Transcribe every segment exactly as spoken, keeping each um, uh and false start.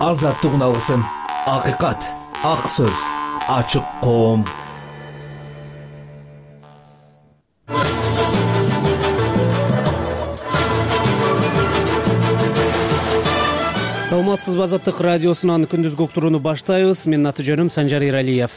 азаттык алгысым, акыйкат, ак сөз, ачык коом. Саламатсызбы, Азаттык радиосунан күндүзгү уктурууну баштайбыз. Менин аты жөнүм Санжар Иралиев.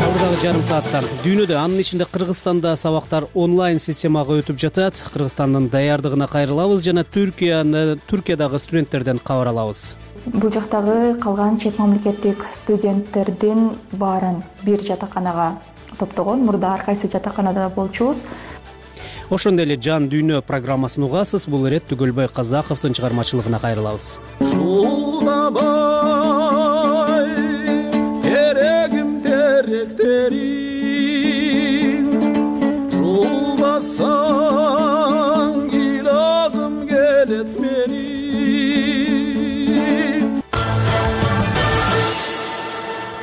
Алдыдагы жарым саатта дүйнөдө, анын ичинде Кыргызстанда сабактар онлайн системага өтүп жатат. Кыргызстандын даярдыгына кайрылабыз жана Түркияны, Түркиядагы студенттерден кабар алабыз. Бул жактагы калган чет мамлекеттик студенттердин баарын бир жатаканага топтогон. Мурда ар кайсы жатаканада болчубуз. Ошондой эле Жан дүйнө программасын угасыз. Бул ирет Түгөлбай Казаковдун чыгармачылыгына кайрылабыз. Жолдабай терегим теректерин, жолбасаң ыйлагым келет менин.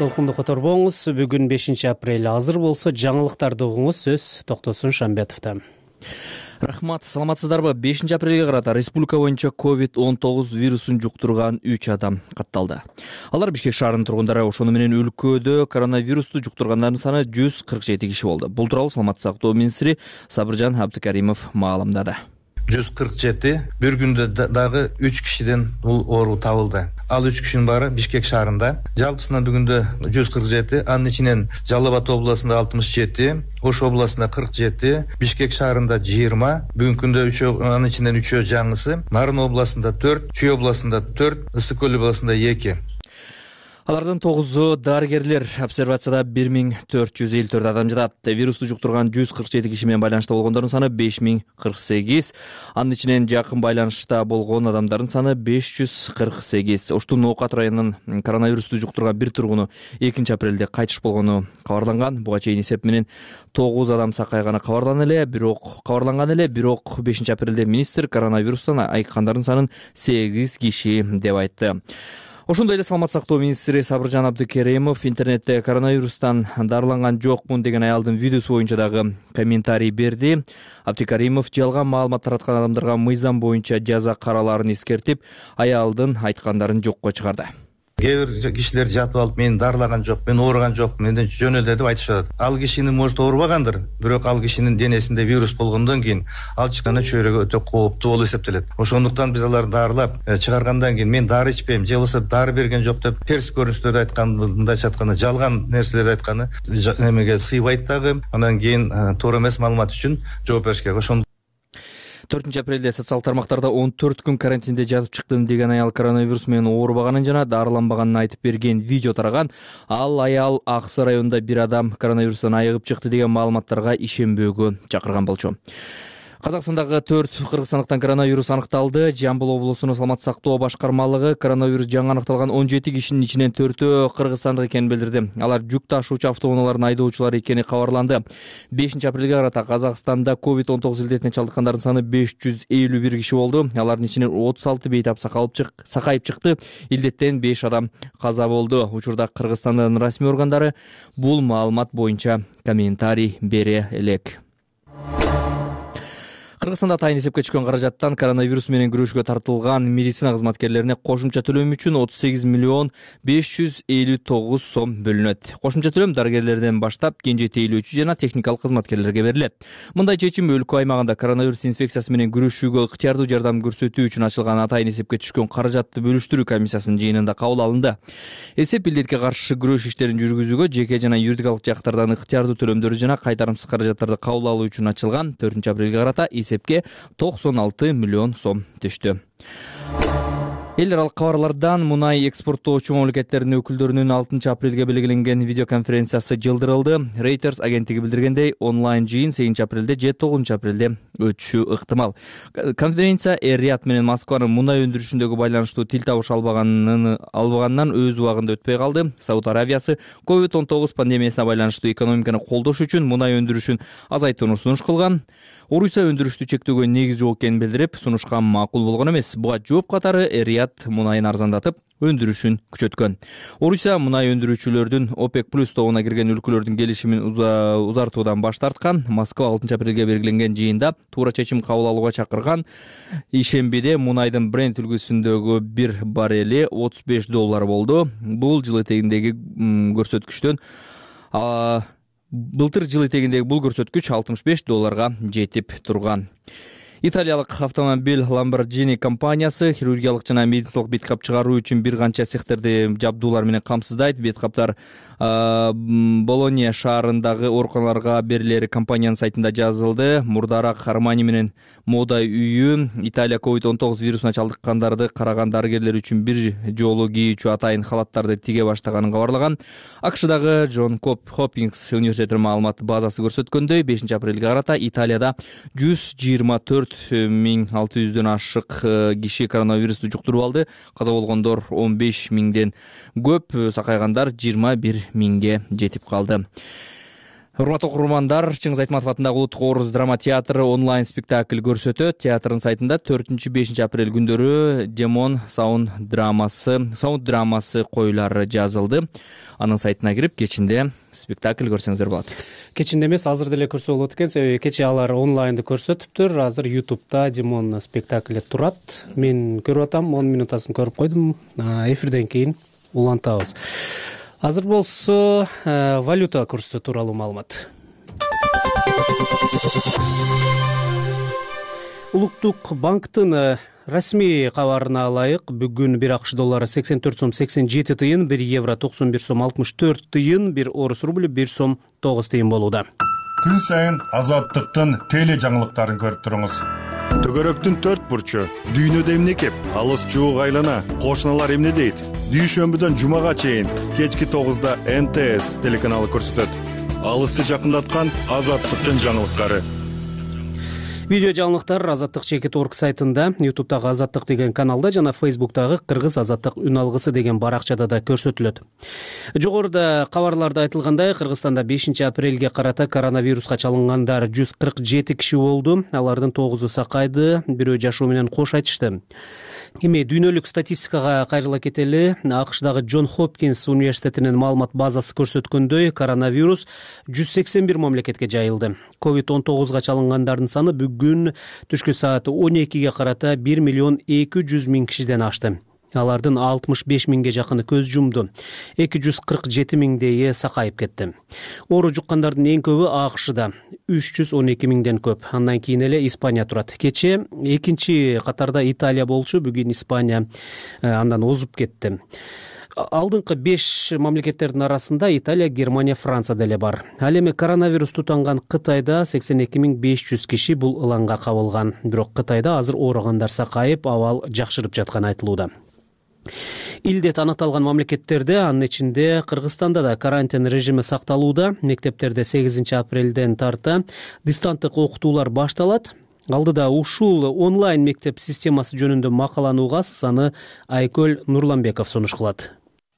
Толкунду которбоңуз. Бүгүн бешинчи апрель. Азыр болсо жаңылыктарды угуңуз. Сөз Токтосун Шамбетовдон. Рахмат, саламатсыздарбы? бешинчи апрелге карата республика боюнча ковид он тогуз вирусун жуктурган үч адам катталды. Алар Бишкек шаарынын тургундары. Ошону менен өлкөдө коронавирусту жуктургандардын саны жүз кырк жети киши болду. Бул тууралуу саламаттык сактоо министри Сабыржан Абдыкаримов маалымдады. жүз кырк жети, бир күндө дагы үч кишиден бул оору табылды. Ал үч кишинин баары Бишкек шаарында. Жалпысынан бүгүндө жүз кырк жети, анын ичинен Жалал Абад областында алтымыш жети, Ош областында кырк жети, Бишкек шаарында жыйырма, бүгүнкү күндө үчөө, анын ичинен үчөө жаңысы, Нарын областында төрт, Чүй областында төрт, Ысык көл областында эки. Алардын тогузу дарыгерлер. Обсервацияда бир миң төрт жүз элүү төрт адам жатат. Вирусту жуктурган жүз кырк жети киши менен байланышта болгондордун саны беш миң кырк сегиз. Анын ичинен жакын байланышта болгон адамдардын саны беш жүз кырк сегиз. Оштун Ноокат районунун коронавирусту жуктурган бир тургуну экинчи апрелде кайтыш болгону кабарланган. Буга чейин эсеп менен тогуз адам сакайганы кабарланган эле, бирок кабарланган эле, бирок бешинчи апрелде министр коронавирустан айыккандардын санын сегиз киши деп айтты. Ошондой эле саламаттык сактоо министри Сабыржан Абдыкаримов интернетте коронавирустан дарыланган жокмун деген аялдын видеосу боюнча дагы комментарий берди. Абдыкаримов жалган маалымат тараткан адамдарга мыйзам боюнча жаза каралаарын эскертип, аялдын айткандарын жокко чыгарды. Кээ бир кишилер жатып алып, мен дарылаган жок, мен ооруган жокмун, менден жөн эле деп айтышат. Ал кишинин может оорубагандыр, бирок ал кишинин денесинде вирус болгондон кийин ал чыкканда чөйрөгө өтө кооптуу болуп эсептелет. Ошондуктан биз аларды дарылап чыгаргандан кийин мен дары ичпейм, же болбосо дары берген жок деп терс көрүнүштөрдү айткан, мындайча айтканда жалган нерселерди айтканы эмеге сыйбайт дагы. Андан кийин туура эмес маалымат үчүн жооп бериш керек. Ошондо төртүнчү апрелде социалдык тармактарда он төрт күн карантинде жатып чыктым деген аял коронавирус менен оорубаганын жана дарыланбаганын айтып берген видео тараган. Ал аял Аксы районунда бир адам коронавирустан айыгып чыкты деген маалыматтарга ишенбөөгө чакырган болчу. Казакстандагы төрт кыргызстандыктан коронавирус аныкталды. Жамбыл облусунун саламаттык сактоо башкармалыгы коронавирус жаңы аныкталган он жети кишинин ичинен төртөө кыргызстандык экенин билдирди. Алар жүк ташуучу автоунаалардын айдоочулары экени кабарланды. бешинчи апрелге карата Казакстанда ковид он тогуз илдетине чалдыккандардын саны беш жүз элүү бир киши болду. Алардын ичинен отуз алты бейтап сакайып чыкты. Илдеттен беш адам каза болду. Учурда Кыргызстандын расмий органдары бул маалымат боюнча комментарий бере элек. Кыргызстанда атайын эсепке түшкөн каражаттан коронавирус менен күрөшүүгө тартылган медицина кызматкерлерине кошумча төлөм үчүн отуз сегиз миллион беш жүз элүү тогуз сом бөлүнөт. Кошумча төлөм дарыгерлерден баштап кенже тейлөөчү жана техникалык кызматкерлерге берилет. Мындай чечим өлкө аймагында коронавирус инфекциясы менен күрөшүүгө ыктыярдуу жардам көрсөтүү үчүн ачылган атайын эсепке түшкөн каражатты бөлүштүрүү комиссиясынын жыйынында кабыл алынды. Эсеп илдетке каршы күрөш иштерин жүргүзүүгө жеке жана юридикалык жактардан ыктыярдуу төлөмдөр жана кайтарымсыз каражаттарды кабыл алуу үчүн ачылган. төртүнчү апрелге карата эсепке токсон алты миллион сом түштү. Эл аралык кабарлардан мунай экспорттоочу мамлекеттердин өкүлдөрүнүн алтынчы апрелге белгиленген видеоконференциясы жылдырылды. Reuters агенттиги билдиргендей, онлайн жыйын сегизинчи апрелде же тогузунчу апрелде өтүшү ыктымал. Конференция Эр-Рияд менен Москванын мунай өндүрүшүндөгү байланыштуу тил табыш албаганын албаганынан өз убагында өтпөй калды. Сауд Аравиясы ковид он тогуз пандемиясына байланыштуу экономиканы колдош үчүн мунай өндүрүшүн азайтууну сунуш кылган. Орусия өндүрүштү чектөөгө негиз жок экенин билдирип, сунушкан макул болгон эмес. Буга жооп катары Эр-Рияд мунайын арзандатып, өндүрүшүн күчөткөн. Орусия мунай өндүрүүчүлөрдүн ОПЕК плюс тобуна кирген өлкөлөрдүн келишимин узартуудан баш тарткан. Москва алтынчы апрелге белгиленген жыйында туура чечим кабыл алууга чакырган. Ишембиде мунайдын Брент үлгүсүндөгү бир баррели отуз беш доллар болду. Бул жыл этегиндеги көрсөткүчтөн былтыр жыл этегиндеги бул көрсөткүч алтымыш беш долларга жетип турган. Италиялык автомобиль Lamborghini компаниясы хирургиялык жана медициналык бет кап чыгаруу үчүн бир канча цехтерди жабдуулар менен камсыздайт. Бет каптар Болония шаарындагы ооруканаларга берилери компаниянын сайтында жазылды. Мурдараак Армани менен мода үйү Италия ковид он тогуз вирусуна чалдыккандарды караган дарыгерлер үчүн бир жолу кийүүчү атайын халаттарды тиге баштаганын кабарлаган. АКШдагы Джон Хопкинс университетинин маалымат базасы көрсөткөндөй, бешинчи апрелге карата Италияда жүз жыйырма төрт миң алты жүздөн ашык киши коронавирусту жуктуруп алды. Каза болгондор он беш миңден көп, сакайгандар жыйырма бир миңге жетип калды. Урматтуу окурмандар, Чыңгыз Айтматов атындагы Улуттук Орус драма театры онлайн спектакль көрсөтөт. Театрдын сайтында төртүнчү бешинчи апрель күндөрү Демон саунд драмасы, саунд драмасы коюлары жазылды. Анын сайтына кирип, кечинде спектакль көрсөңүздөр болот. Кечинде эмес, азыр деле көрсө болот экен, себеби кечээ алар онлайнды көрсөтүптүр. Азыр YouTube'да Демон спектакли турат. Мен көрүп атам, он минутасын көрүп койдум. Эфирден кийин улантабыз. Азыр болсо валюта курсу тууралуу маалымат. Улуттук банктын расмий кабарына ылайык, бүгүн бир АКШ доллары сексен төрт сом сексен жети тыйын, бир евро токсон бир сом алтымыш төрт тыйын, бир орус рубль бир сом тогуз тыйын болууда. Күн сайын Азаттыктын теле жаңылыктарын көрүп туруңуз. Төгөрөктүн төрт бурчу, дүйнөдө эмне кеп, алыс жуук айлана, кошуналар эмне дейт? Дүйшөмбүдөн жумага чейин кечки тогузда Эн Тэ Эс телеканалы көрсөтөт. Алысты жакындаткан Азаттыктын жаңылыктары. Видео жаңылыктар Азаттык чекит орг сайтында, YouTube'дагы Азаттык деген каналда жана Facebook'тагы Кыргыз Азаттык үн алгысы деген баракчада да көрсөтүлөт. Жогоруда кабарларда айтылгандай, Кыргызстанда бешинчи апрелге карата коронавируска чалынгандар жүз кырк жети киши болду. Алардын тогузу сакайды, бирөө жашоо менен кош айтышты. Эми дүйнөлүк статистикага кайрыла кетели. АКШдагы Джон Хопкинс университетинин маалымат базасы көрсөткөндөй, коронавирус жүз сексен бир мамлекетке жайылды. ковид он тогузга чалынгандардын саны бүгүн түшкү саат он экиге карата бир миллион эки жүз миң кишиден ашты. Алардын алтымыш беш миңге жакыны көз жумду. эки жүз кырк жети миңдейи сакайып кетти. Оору жуккандардын эң көбү АКШда үч жүз он эки миңден көп. Андан кийин эле Испания турат. Кече экинчи катарда Италия болчу, бүгүн Испания андан озуп кетти. Алдыңкы беш мамлекеттердин арасында Италия, Германия, Франция деле бар. Ал эми коронавирус тутанган Кытайда сексен эки миң беш жүз киши бул ыланга кабылган. Бирок Кытайда азыр ооругандар сакайып, абал жакшырып жатканы айтылууда. Илдет аныкталган мамлекеттерде, анын ичинде Кыргызстанда да карантин режими сакталууда. Мектептерде сегизинчи апрелден тарта дистанттык окутуулар башталат. Алдыда ушул онлайн мектеп системасы жөнүндө макаланы угасыз, аны Айкөл Нурламбеков сунуш кылат.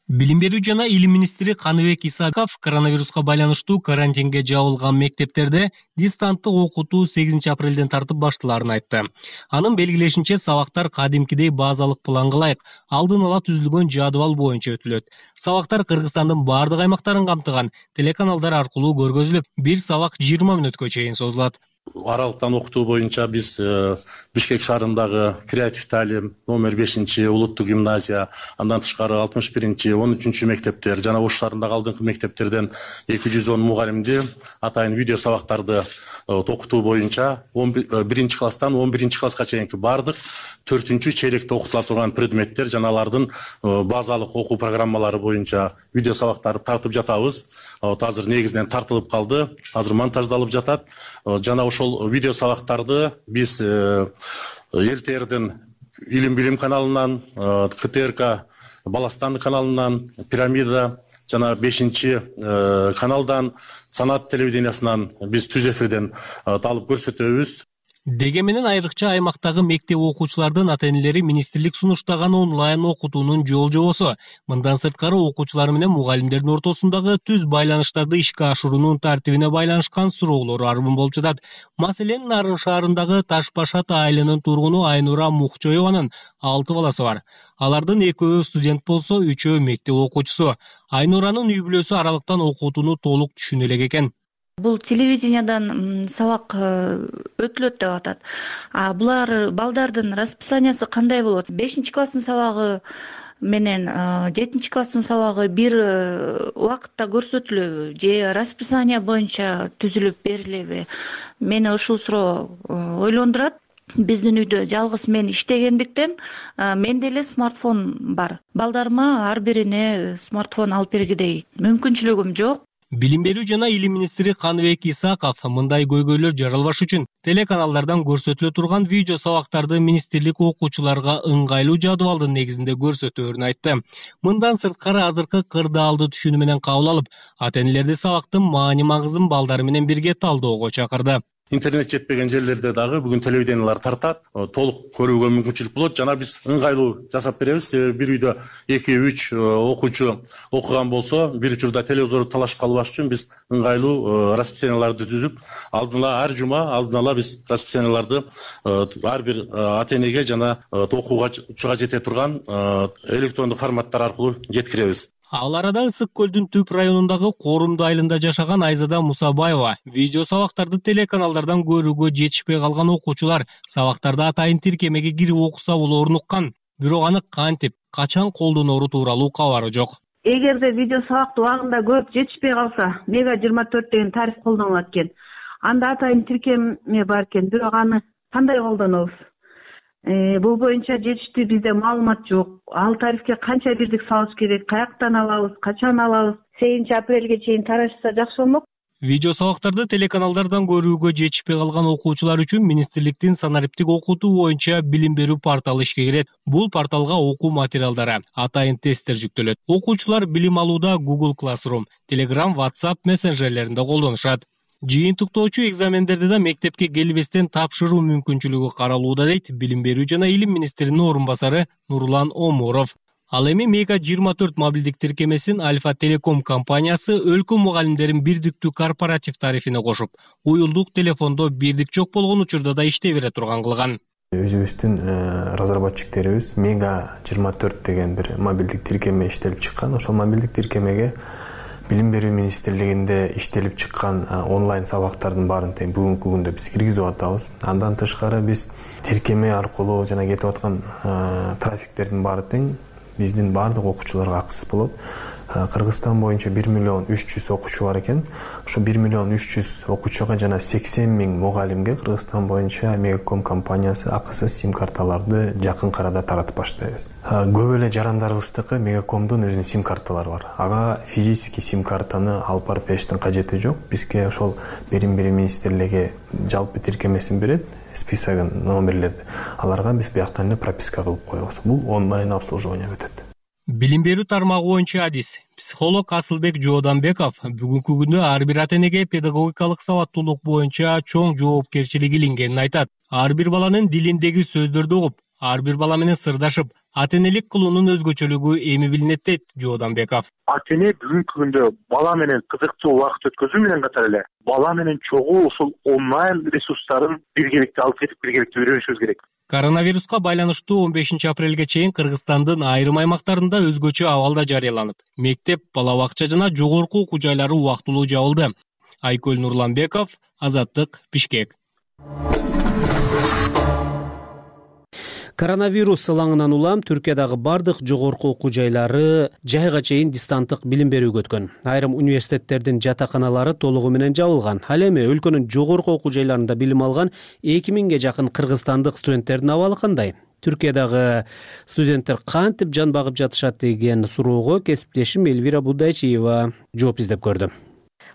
Билим берүү жана илим министри Каныбек Исаков коронавируска байланыштуу карантинге жабылган мектептерде дистанттык окутуу сегизинчи апрелден тартып башталарын айтты. Анын белгилешинче, сабактар кадимкидей базалык планга ылайык алдын ала түзүлгөн жадыбал боюнча өтүлөт. Сабактар Кыргызстандын бардык аймактарын камтыган телеканалдар аркылуу көргөзүлүп, бир сабак жыйырма мүнөткө чейин созулат. Аралыктан окутуу боюнча биз Бишкек шаарындагы Креатив Талим номер бешинчи улуттук гимназия, андан тышкары алтымыш биринчи, он үчүнчү мектептер жана Ош шаарындагы алдыңкы мектептерден эки жүз он мугалимди атайын видео сабактарды окутуу боюнча биринчи класстан он биринчи класска чейинки бардык төртүнчү чейректе окутула турган предметтер жана алардын базалык окуу программалары боюнча видео сабактарды тартып жатабыз. Азыр негизинен тартылып калды, азыр монтаждалып жатат. Жана ошол видео сабактарды биз эр тэ эрдин Илим билим каналынан, Ка Тэ Эр К Баластан каналынан, Пирамида жана бешинчи каналдан, Санат телевидениясынан биз түз эфирден алып көрсөтөбүз. Деге менен айрыкча аймактагы мектеп окуучулардын ата-энелери министрлик сунуштаган онлайн окутуунун жол жобосу, мындан сырткары окуучулар менен мугалимдердин ортосундагы түз байланыштарды ишке ашыруунун тартибине байланышкан суроолор арбын болуп жатат. Маселен, Нарын шаарындагы Таш Башат айылынын тургуну Айнура Мукчоеванын алты баласы бар. Алардын экөө студент болсо, үчөө мектеп окуучусу. Айнуранын үй бүлөсү аралыктан окутууну толук түшүнө элек экен. Бул телевидениядан сабак өтүлөт деп атат. А булар балдардын расписаниясы кандай болот? бешинчи класстын сабагы менен жетинчи класстын сабагы бир убакытта көрсөтүлөбү же расписания боюнча түзүлүп берилеби? Мени ушул суроо ойлондурат. Биздин үйдө жалгыз мен иштегендиктен менде эле смартфон бар. Балдарыма ар бирине смартфон алып бергидей мүмкүнчүлүгүм жок. Билим берүү жана илим министри Каныбек Исаков мындай көйгөйлөр жаралбаш үчүн телеканалдардан көрсөтүлө турган видео сабактарды министрлик окуучуларга ыңгайлуу жадыбалдын негизинде көрсөтөөрүн айтты. Мындан сырткары азыркы кырдаалды түшүнүү менен кабыл алып, ата-энелерди сабактын маани магызын балдары менен бирге талдөөгө чакырды. Интернет жетпеген жерлерде дагы бүгүн телевидениялар тартат, толук көрүүгө мүмкүнчүлүк болот. Жана биз ыңгайлуу жасап беребиз. Себеби бир үйдө эки үч окуучу окуган болсо, бир учурда телевизорду талашып калбаш үчүн биз ыңгайлуу расписанияларды түзүп, алдын ала ар жума алдын ала биз расписанияларды ар бир ата-энеге жана окууга чыга жете турган электрондук форматтар аркылуу жеткиребиз. Ал арада Ысык көлдүн түп районундагы Корумду айылында жашаган Айзада Мусабаева видео сабактарды телеканалдардан көрүүгө жетишпей калган окуучулар сабактарды атайын тиркемеге кирип окуса болоорун уккан. Бирок аны кантип, качан колдоноору тууралуу кабары жок. Эгерде видео сабакты убагында көрүп жетишпей калса, мега жыйырма төрт деген тариф колдонулат экен. Анда атайын тиркеме бар экен, бирок аны кандай колдонобуз? Бул боюнча жетиштүү бизде маалымат жок. Ал тарифке канча бирдик салыш керек, каяктан алабыз, качан алабыз? сегизинчи апрелге чейин тарашса жакшы болмок. Видео сабактарды телеканалдардан көрүүгө жетишпей калган окуучулар үчүн министрликтин санариптик окутуу боюнча билим берүү порталы ишке кирет. Бул порталга окуу материалдары, атайын тесттер жүктөлөт. Окуучулар билим алууда Google Classroom, Telegram, WhatsApp мессенджерлеринде колдонушат. Жыйынтыктоочу экзамендерди да мектепке келбестен тапшыруу мүмкүнчүлүгү каралууда дейт билим берүү жана илим министринин орун басары Нурлан Омуров. Ал эми мега жыйырма төрт мобилдик тиркемесин Альфа Телеком компаниясы өлкө мугалимдерин бирдиктүү корпоратив тарифине кошуп, уюлдук телефондо бирдик жок болгон учурда да иштей бере турган кылган. Өзүбүздүн разработчиктерибиз мега жыйырма төрт деген бир мобилдик тиркеме иштелип чыккан. Ошол мобилдик тиркемеге Билим берүү министрлигинде иштелип чыккан онлайн сабактардын баарын тең бүгүнкү күндө биз киргизип атабыз. Андан тышкары биз тиркеме аркылуу жана кетип аткан трафиктердин баары тең биздин баардык окуучуларга акысыз болот. Кыргызстан боюнча бир миллион үч жүз окуучу бар экен. Ошо бир миллион үч жүз окуучуга жана сексен миң мугалимге Кыргызстан боюнча Мегаком компаниясы акысыз сим карталарды жакын арада таратып баштайбыз. Көп эле жарандарыбыздыкы Мегакомдун өзүнүн сим карталары бар. Ага физически сим картаны алып барып бериштин кажети жок. Бизге ошол билим берүү министрлиги жалпы тиркемесин берет, списогун, номерлерди. Аларга биз бияктан эле прописка кылып коебуз. Бул онлайн обслуживание өтөт. Билим берүү тармагы боюнча адис психолог Асылбек Жооданбеков бүгүнкү күндө ар бир ата-энеге педагогикалык сабаттуулук боюнча чоң жоопкерчилик илингенин айтат. Ар бир баланын дилиндеги сөздөрдү угуп, ар бир бала менен сырдашып, ата-энелик кылуунун өзгөчөлүгү эми билинет дейт Жооданбеков. Ата-эне бүгүнкү күндө бала менен кызыктуу убакыт өткөзүү менен катар эле бала менен чогуу ушул онлайн ресурстарын биргеликте алып кетип биргеликте үйрөнүшүбүз керек. Коронавируска байланыштуу он бешинчи апрелге чейин Кыргызстандын айрым аймактарында өзгөчө абалда жарыяланып, мектеп, бала бакча жана жогорку окуу жайлары убактылуу жабылды. Айкөл Нурланбеков, Азаттык, Бишкек. Коронавирус ылаңынан улам Түркиядагы бардык жогорку окуу жайлары жайга чейин дистанттык билим берүүгө өткөн. Айрым университеттердин жатаканалары толугу менен жабылган. Ал эми өлкөнүн жогорку окуу жайларында билим алган эки миңге жакын кыргызстандык студенттердин абалы кандай? Түркиядагы студенттер кантип жан багып жатышат деген суроого кесиптешим Элвира Будайчиева жооп издеп көрдү.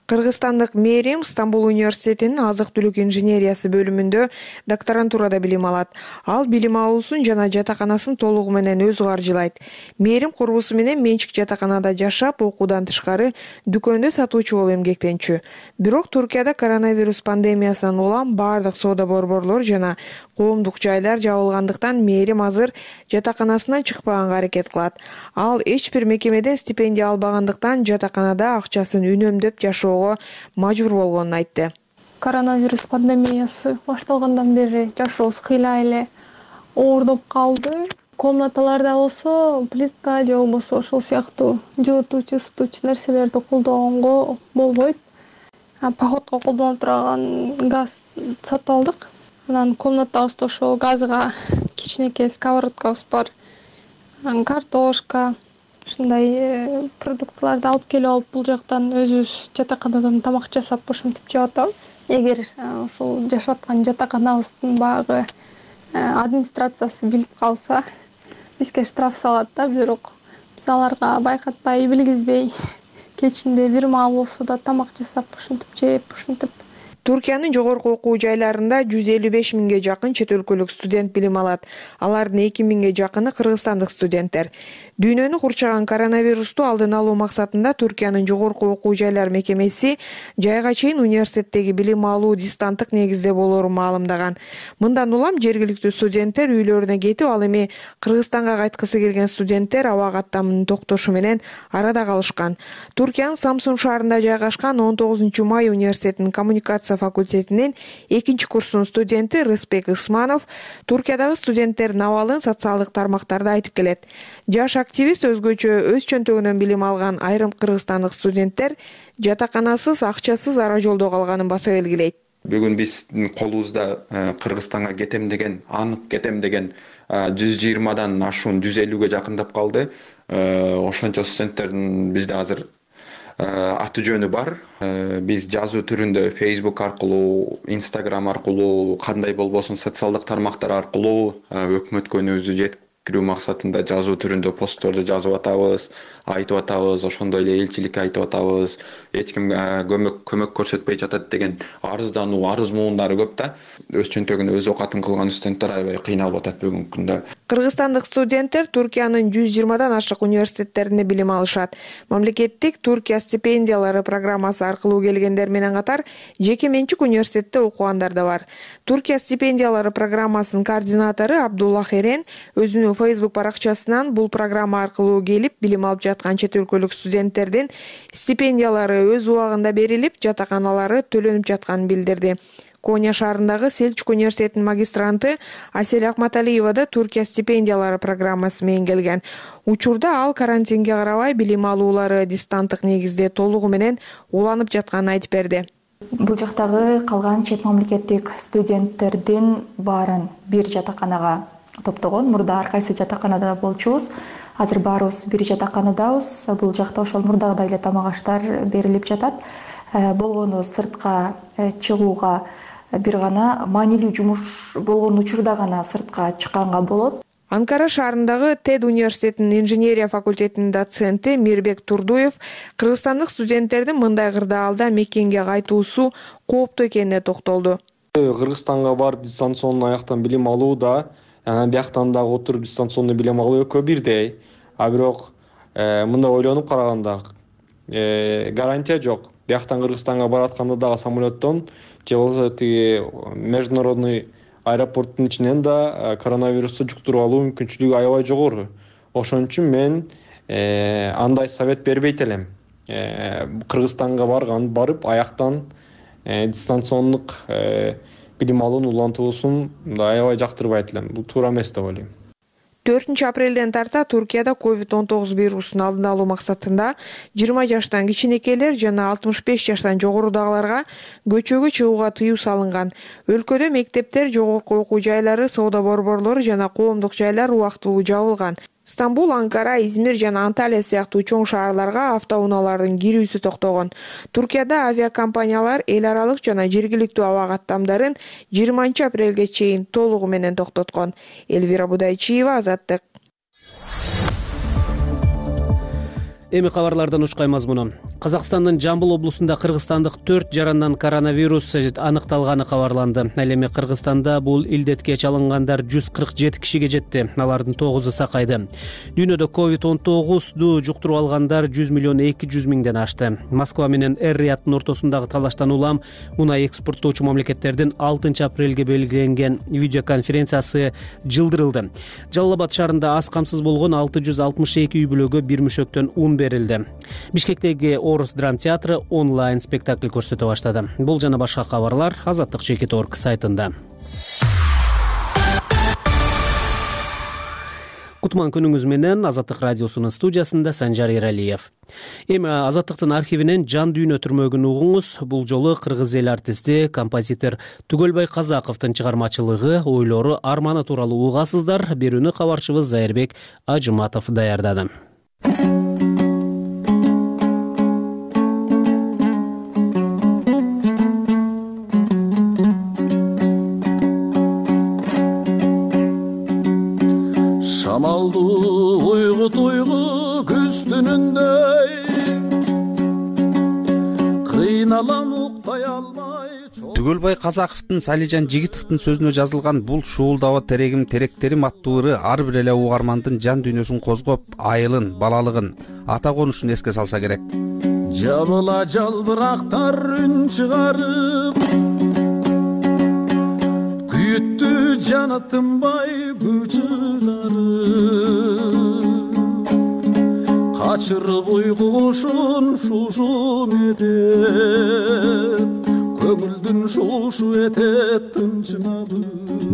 Кыргызстандык Мээрим Стамбул университетинин азык түлүк инженериясы бөлүмүндө докторантурада билим алат. Ал билим алуусун жана жатаканасын толугу менен өзү каржылайт. Мээрим курбусу менен менчик жатаканада жашап, окуудан тышкары дүкөндө сатуучу болуп эмгектенчү. Бирок Туркияда коронавирус пандемиясынан улам бардык соода борборлор жана коомдук жайлар жабылгандыктан Мээрим азыр жатаканасынан чыкпаганга аракет кылат. Ал эч бир мекемеден стипендия албагандыктан жатаканада акчасын үнөмдөп жашоого мажбур болгонун айтты. Коронавирус пандемиясы башталгандан бери жашообуз кыйла эле оордоп калды. Комнаталарда болсо плитка же болбосо ошол сыяктуу жылытуучу, ысытуучу нерселерди колдогонго болбойт. Походко колдонуп турган газ сатып алдык. Анан комнатабызда ошол газга кичинекей сковородкабыз бар. Картошка, ушундай продуктыларды алып келип алып бул жактан өзүбүз жатаканадан тамак жасап ошентип жеп атабыз. Эгер ошол жашап аткан жатаканабыздын багы администрациясы билип калса, бизге штраф салат да, бирок биз аларга байкатпай, билгизбей кечинде бир маал болсо да тамак жасап ошентип жеп, ошентип. Туркиянын жогорку окуу жайларында жүз элүү беш миңге жакын чет өлкөлүк студент билим алат. Алардын эки миңге жакыны кыргызстандык студенттер. Дүйнөнү курчаган коронавирусту алдын алуу максатында Туркиянын жогорку окуу жайлар мекемеси жайга чейин университеттеги билим алуу дистанттык негизде болоорун маалымдаган. Мындан улам жергиликтүү студенттер үйлөрүнө кетип, ал эми Кыргызстанга кайткысы келген студенттер аба каттамынын токтошу менен арада калышкан. Туркиянын Самсун шаарында жайгашкан он тогузунчу май университетинин коммуникация факультетинин экинчи курсунун студенти Рыспек Ысманов Туркиядагы студенттердин абалын социалдык тармактарда айтып келет. Жаш активист өзгөчө өз чөнтөгүнөн билим алган айрым кыргызстандык студенттер жатаканасыз, акчасыз ара жолдо калганын баса белгилейт. Бүгүн биздин колубузда Кыргызстанга кетем деген, анық кетем деген жүз жыйырмадан ашуун жүз элүүгө жакындап калды. Ошончо студенттердин бизде азыр аты жөнү бар. Биз жазуу түрүндө Facebook аркылуу, Instagram аркылуу, кандай болбосун социалдык тармактар аркылуу өкмөткө үнүбүздү жеткирүү максатында жазуу түрүндө постторду жазып атабыз, айтып атабыз, ошондой эле элчиликке айтып атабыз. Эч ким көмөк көмөк көрсөтпөй жатат деген арыздануу, арыз муундары көп да. Өз чөнтөгүнө өз окатын кылган студенттер аябай кыйналып атат бүгүнкү күндө. Кыргызстандык студенттер Туркиянын жүз жыйырмадан ашык университеттеринде билим алышат. Мамлекеттик Туркия стипендиялары программасы аркылуу келгендер менен катар жеке менчик университетте окугандар да бар. Туркия стипендиялары программасынын координатору Абдулла Херен өзүнүн Facebook баракчасынан бул программа аркылуу келип билим алып жаткан чет өлкөлүк студенттердин стипендиялары өз убагында берилип, жатаканалары төлөнүп жатканын билдирди. Коня шаарындагы Селчук университетинин магистранты Асель Акматалиева да Туркия стипендиялары программасы менен келген. Учурда ал карантинге карабай билим алуулары дистанттык негизде толугу менен уланып жатканын айтып берди. Бул жактагы калган чет мамлекеттик студенттердин баарын бир жатаканага топтогон. Мурда ар кайсы жатаканада болчубуз. Азыр баарыбыз бир жатаканадабыз. Бул жакта ошол мурдагыдай эле тамак аштар берилип жатат. Болгону сыртка чыгууга бир гана маанилүү жумуш болгон учурда гана сыртка чыкканга болот. Анкара шаарындагы Тед университетинин инженерия факультетинин доценти Мирбек Турдуев кыргызстандык студенттердин мындай кырдаалда мекенге кайтуусу кооптуу экенине токтолду. Кыргызстанга барып дистанционный аяктан билим алуу да, бияктан дагы отуруп дистанционный билим алуу экөө бирдей. А бирок мындай ойлонуп караганда гарантия жок. Бияктан Кыргызстанга баратканда дагы самолеттон же болбосо тиги международный аэропорттун ичинен да коронавирусту жуктуруп алуу мүмкүнчүлүгү аябай жогору. Ошон үчүн мен андай совет бербейт элем. Кыргызстанга барган, барып аяктан дистанциондук билим алуунун улантуусун аябай жактырбайт элем. Бул туура эмес деп ойлойм. төртүнчү апрелден тарта Туркияда ковид он тогуз вирусун алдын алуу максатында жыйырма жаштан кичинекейлер жана алтымыш беш жаштан жогорудагыларга көчөгө чыгууга тыюу салынган. Өлкөдө мектептер, жогорку окуу жайлары, соода борборлору жана коомдук жайлар убактылуу жабылган. Стамбул, Анкара, Измир жана Анталия сыяктуу чоң шаарларга автоунаалардын кирүүсү токтогон. Туркияда авиакомпаниялар эл аралык жана жергиликтүү аба каттамдарын жыйырманчы апрелге чейин толугу менен токтоткон. Элвира Будайчиева, Азаттык. Эми кабарлардан учкай мазмуну. Казакстандын Жамбыл облусунда кыргызстандык төрт жарандан коронавирус аныкталганы кабарланды. Ал эми Кыргызстанда бул илдетке чалынгандар жүз кырк жети кишиге жетти. Алардын тогузу сакайды. Дүйнөдө ковид он тогузду жуктуруп алгандар жүз миллион эки жүз миңден ашты. Москва менен Эр-Рияттын ортосундагы талаштан улам унай экспорттоочу мамлекеттердин алтынчы апрелге белгиленген видеоконференциясы жылдырылды. Жалал Абад шаарында аз камсыз болгон алты жүз алтымыш эки үй бүлөгө бир мүшөктөн ун берилди. Бишкектеги Орус драм театры онлайн спектакль көрсөтө баштады. Бул жана башка кабарлар Азаттык чекит точка орг сайтында. Кутман күнүңүз менен Азаттык радиосунун студиясында Санжар Эралиев. Эми Азаттыктын архивинен жан дүйнө түрмөгүн угуңуз. Бул жолу кыргыз эл артисти, композитор Түгөлбай Казаковдун чыгармачылыгы, ойлору, арманы тууралуу угасыздар. Берүүнү кабарчыбыз Зайырбек Ажыматов даярдады. Шамалды уйгут уйгу күз түнүндөй кыйналам уктай алмай. Түгөлбай Казаковдун Салижан Жигитовдун сөзүнө жазылган бул шуулдабы терегим теректерим аттуу ыры ар бир эле угармандын жан дүйнөсүн козгоп, айылын, балалыгын, ата конушун эске салса керек. Жабыла жалбырактар үн чыгарып, күйүттү жана тынбай күчүлөрү, качырып уйку кушун шушу этет, көңүлдүн шушу этет тынчымады.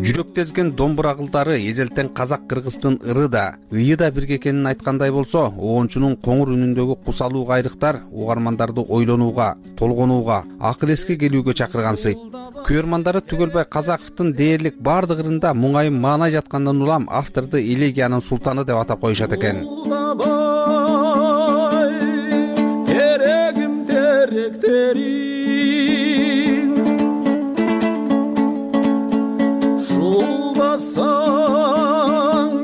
Жүрөктезген домбура кылдары эзелтен казак-кыргыздын ыры да, ыйы да бирге экенин айткандай болсо, оончунун коңур үнүндөгү кусалуу кайрыктар угармандарды ойлонууга, толгонууга, акыл эске келүүгө чакыргансыйт. Көрмандары Түгөлбай Казаковдун дээрлик бардык ырында муңайым маанай жаткандан улам авторду элегиянын султаны деп атап коюшат экен. Терегим теректерим шуулдасаң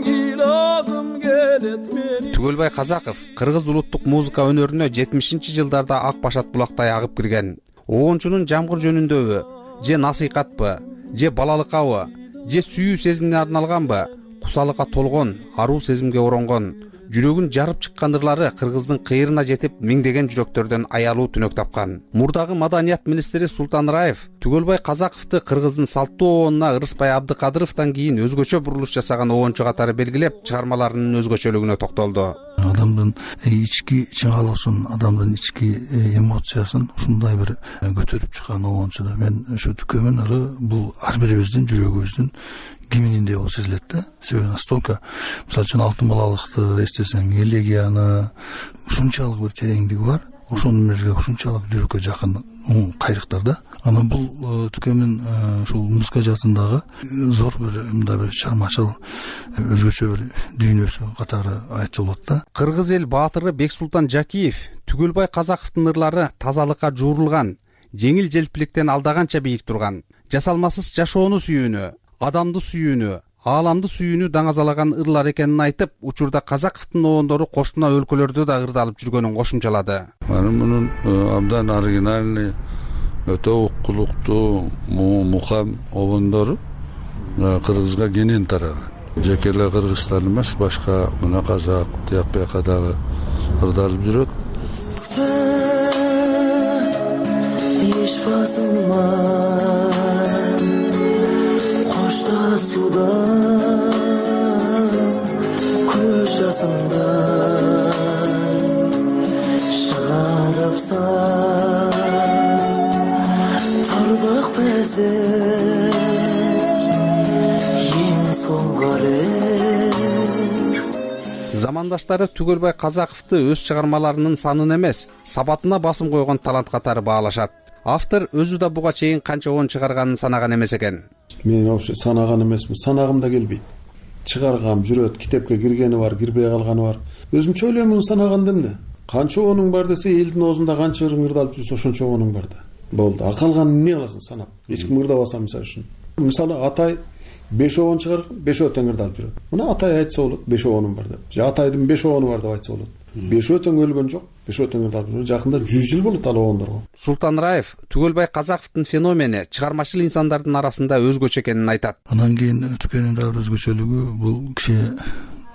ыйлагым келет менин. Түгөлбай Казаков кыргыз улуттук музыка өнөрүнө жетимишинчи жылдарда ак башат булактай агып кирген. Оончунун жамгыр жөнүндөбү, же насыйкатпы, же балалыкабы, же сүйүү сезимине арналганбы, кусалыкка толгон, аруу сезимге оронгон, жүрөгүн жарып чыккан ырлары кыргыздын кыйрына жетип, миңдеген жүрөктөрдөн аялуу түнөк тапкан. Мурдагы маданият министри Султан Раев Түгөлбай Казаковду кыргыздын салттуу оонуна Ырыспай Абдыкадыровдон кийин өзгөчө бурулуш жасаган оончу катары белгилеп, чыгармаларынын өзгөчөлүгүнө токтолду. Адамдын ички чыңалуусун, адамдын ички эмоциясын ушундай бир көтөрүп чыккан оончуда мен ушу Түкөмүн ыры бул ар бирибиздин жүрөгүбүздүн кимининдей болуп сезилет да. Себеби настолько, мисалы үчүн алтын балалыкты эстесең, элегияны ушунчалык бир тереңдиги бар, ошонун өзгө ушунчалык жүрөккө жакын кайрыктар да. Анан бул Түкөмүн ушул музыка жаатындагы зор бир мындай бир чармачыл өзгөчө бир дүйнөсү катары айтса болот да. Кыргыз эл баатыры Бексултан Жакиев Түгөлбай Казаковдун ырлары тазалыкка жуурулган, жеңил желпиликтен алдаганча бийик турган, жасалмасыз жашоону сүйүүнү, адамды сүйүүнү, ааламды сүйүүнү даңазалаган ырлар экенин айтып, учурда Казаковдун оондору кошуна өлкөлөрдө да ырдалып жүргөнүн кошумчалады. Мунун абдан оригинальный, өтө уккулуктуу мукам обондору кыргызга кенен тараган. Жеке эле Кыргызстан эмес, башка мына казак, тияк бияка дагы ырдалып жүрөт. Еш басылмай кошташууда көз жасымдай чыгарып тардык бездер эң соңку элек. Замандаштары Түгөлбай Казаковду өз чыгармаларынын санын эмес, сабатына басым койгон талант катары баалашат. Автор өзү да буга чейин канча оон чыгарганын санаган эмес экен. Мен вообще санаган эмесмин, санагым да келбейт. Чыгаргам жүрөт, китепке киргени бар, кирбей калганы бар. Өзүмчө ойлойм, санаган эмне? Канча оонуң бар десе, элдин оозунда канча ырың ырдалып жүрсө, ошончо оонуң бар да. Болду. А калганын эмне кыласың санап? Эч ким ырдабаса мисалы үчүн. Мисалы Атай беш оон чыгарган, беш тең ырдалып жүрөт. Мына Атай айтса болот, беш оонум бар деп. Же Атайдын беш оону бар деп айтса болот. бешөө тең өлгөн жок. Бешөө тең жакында жүз жыл болот ал обондорго. Султан Раев Түгөлбай Казаковдун феномени чыгармачыл инсандардын арасында өзгөчө экенин айтат. Анан кийин Түкөнүн дагы бир өзгөчөлүгү бул киши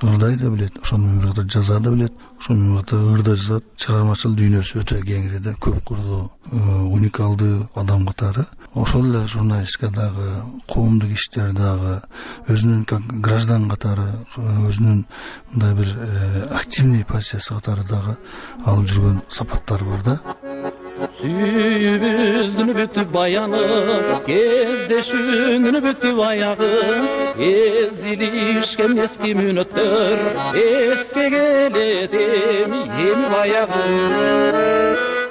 ырдай да билет, ошону менен бир жаза да билет, ошону менен ырда жазат. Чыгармачыл дүйнөсү өтө кеңири да, көп курдуу, уникалдуу адам катары. Ошол эле журналистикадагы, коомдук иштердагы, өзүнүн как граждан катары, өзүнүн мындай бир активный позициясы катары дагы алып жүргөн сапаттары бар да. Сүйүүбүздүн бүтүп баяны, кездешүүнүн бүтүп аягы, эзилишкен эски мүнөттөр, эске келет эми баягы.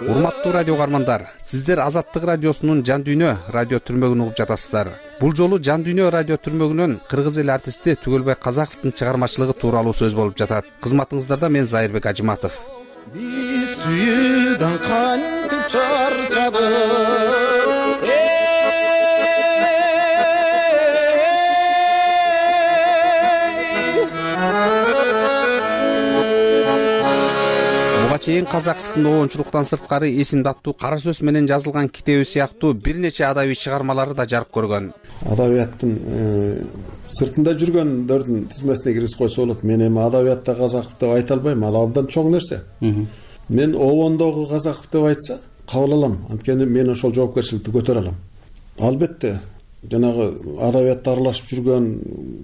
Урматтуу радио каармандар, сиздер Азаттык радиосунун Жан дүйнө радио түрмөгүн угуп жатасыздар. Бул жолу Жан дүйнө радио түрмөгүнөн кыргыз эл артисти Түгөлбай Казаковдун чыгармачылыгы тууралуу сөз болуп жатат. Кызматыңыздарда мен Зайырбек Ажыматов. Биз сүйүүдөн кантип чарчадык, буга чейин Казаковдун оончулуктан сырткары эсимде аттуу кара сөз менен жазылган китеби сыяктуу бир нече адабий чыгармалары да жарык көргөн. Адабияттын сыртында жүргөндөрдүн тизмесине киргизип койсо болот. Мен эми адабиятта Казаков деп айта албайм, ал абдан чоң нерсе. Мен обондогу Казаков деп айтса кабыл алам, анткени мен ошол жоопкерчиликти көтөрө алам. Албетте, жанагы адабиятта аралашып жүргөн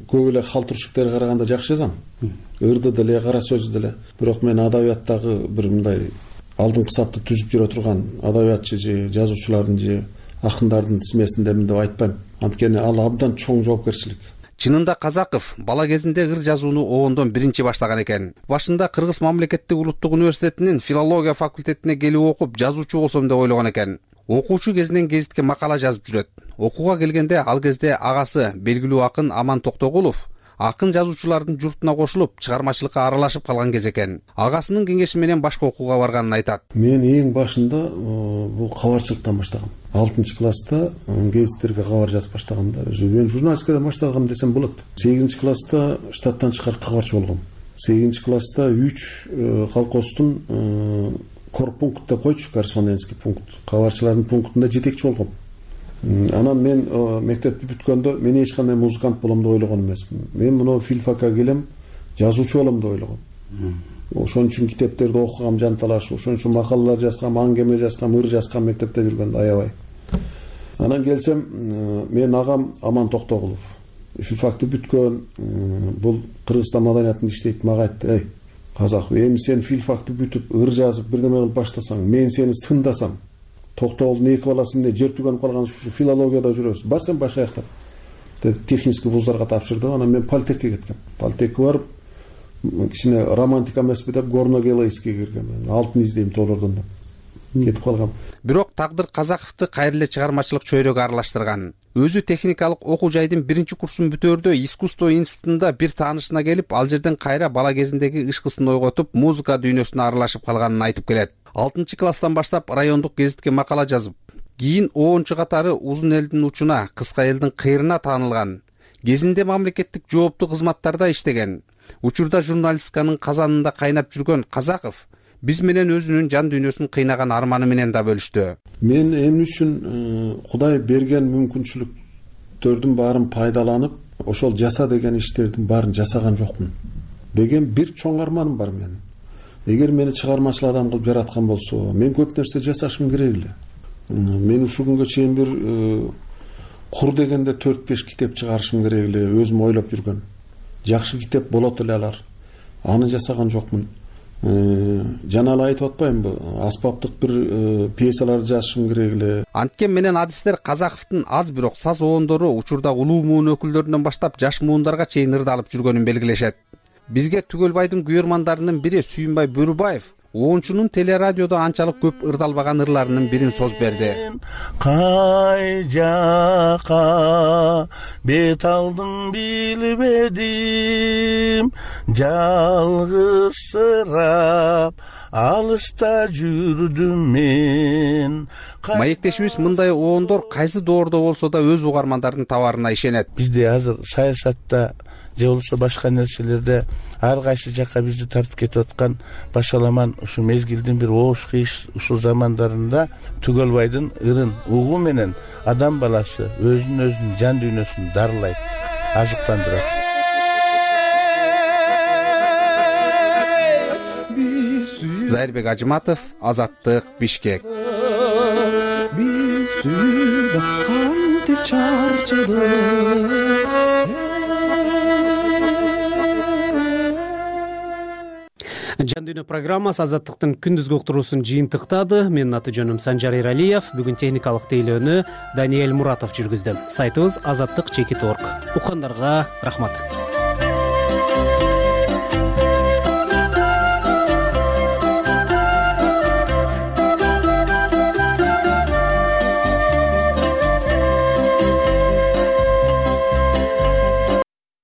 көп эле халтуршуктерге караганда жакшы жазам. Ырды деле, кара сөздү деле. Бирок мен адабияттагы бир мындай алдыңкы сапты түзүп жүрө турган адабиятчы же жазуучулардын же акындардын тизмесиндемин деп айтпайм. Анткени ал абдан чоң жоопкерчилик. Чынында Казаков бала кезинде ыр жазууну обондон биринчи баштаган экен. Башында Кыргыз мамлекеттик улуттук университетинин филология факультетине келип окуп, жазуучу болсом деп ойлогон экен. Окуучу кезинен гезитке макала жазып жүрөт. Окууга келгенде ал кезде агасы белгилүү акын Аман Токтогулов акын жазуучулардын журтуна кошулуп, чыгармачылыкка аралашып калган кез экен. Агасынын кеңеши менен башка окууга барганын айтат. Мен эң башында бул кабарчылыктан баштагам. алтынчы класста гезиттерге кабар жазып баштагам да. Мен журналистикадан баштагам десем болот. сегизинчи класста штаттан чыккар кабарчы болгом. сегизинчи класста үч колхоздун корпункт деп койчу, корреспондентский пункт. Кабарчылардын пунктунда жетекчи болгом. Анан мен мектепти бүткөндө мен эч кандай музыкант болом деп ойлогон эмесмин. Мен муну филфакка келем, жазуучу болом деп ойлогом. Ошон үчүн китептерди окугам жанталаш, ошон үчүн макалалар жазгам, аңгеме жазгам, ыр жазгам мектепте жүргөндө аябай. Анан келсем, мен агам Аман Токтогулов. Филфакты бүткөн, бул Кыргызстан маданиятында иштейт, мага айтты: "Эй, Казак, эми сен филфакты бүтүп, ыр жазып, бирдеме кылып баштасаң, мен сени сындасам. Токтогулдун эки баласы эмне жер түгөнүп калган ушу филологияда жүрөбүз. Бар сен башка жакта." Технический вуздарга тапшырды. Анан мен политехке кеткем. Политехке барып, кичине романтика эмеспи деп Горно-Гелайскийге киргем. Алтын издейм толордон деп кетип калгам. Бирок тагдыр Казаковду кайра эле чыгармачылык чөйрөгө аралаштырган. Өзү техникалык окуу жайдын биринчи курсун бүтөөрдө искусство институтунда бир таанышына келип, ал жерден кайра бала кезиндеги ышкысын ойготуп, музыка дүйнөсүнө аралашып калганын айтып келет. алтынчы класстан баштап райондук гезитке макала жазып, кийин оончу катары узун элдин учуна, кыска элдин кыйрына таанылган. Кезинде мамлекеттик жооптуу кызматтарда иштеген. Учурда журналистиканын казанында кайнап жүргөн Казаков биз менен өзүнүн жан дүйнөсүн кыйнаган арманы менен да бөлүштү. Мен эмне үчүн Кудай берген мүмкүнчүлүктөрдүн баарын пайдаланып, ошол жаса деген иштердин баарын жасаган жокмун деген бир чоң арманым бар менин. Эгер мени чыгармачыл адам кылып жараткан болсо, мен көп нерсе жасашым керек эле. Мен ушул күнгө чейин бир кур дегенде төрт беш китеп чыгарышым керек эле, өзүм ойлоп жүргөн. Жакшы китеп болот эле алар. Аны жасаган жокмун. Жана эле айтып атпаймынбы? Аспаптык бир пьесаларды жазышым керек эле. Анткен менен адистер Казаковдун аз бирок саз оондору учурда улуу муун өкүлдөрүнөн баштап жаш муундарга чейин ырдалып жүргөнүн белгилешет. Бизге Түгөлбайдын күйөрмандарынын бири Сүйүнбай Бөрүбаев оончунун телерадиодо анчалык көп ырдалбаган ырларынын бирин соз берди. Кай жака бет алдың билбедим, жалгызсырап алыста жүрдүм мен. Маектешибиз мындай оондор кайсы доордо болсо да өз угармандардын табаарына ишенет. Бизде азыр саясатта же болбосо башка нерселерде ар кайсы жакка бизди тартып кетип аткан башаламан ушу мезгилдин бир ооз кыйш ушул замандарында Түгөлбайдын ырын угу менен адам баласы өзүн өзүнүн жан дүйнөсүн дарылайт, азыктандырат. Зайырбек Ажыматов, Азаттык, Бишкек. Жан дүйнө программасы Азаттыктын күндүзгү уктуруусун жыйынтыктады. Менин аты жөнүм Санжар Эралиев. Бүгүн техникалык тейлөөнү Даниэль Муратов жүргүздү. Сайтыбыз азаттык чекит точка орг. Уккандарга рахмат.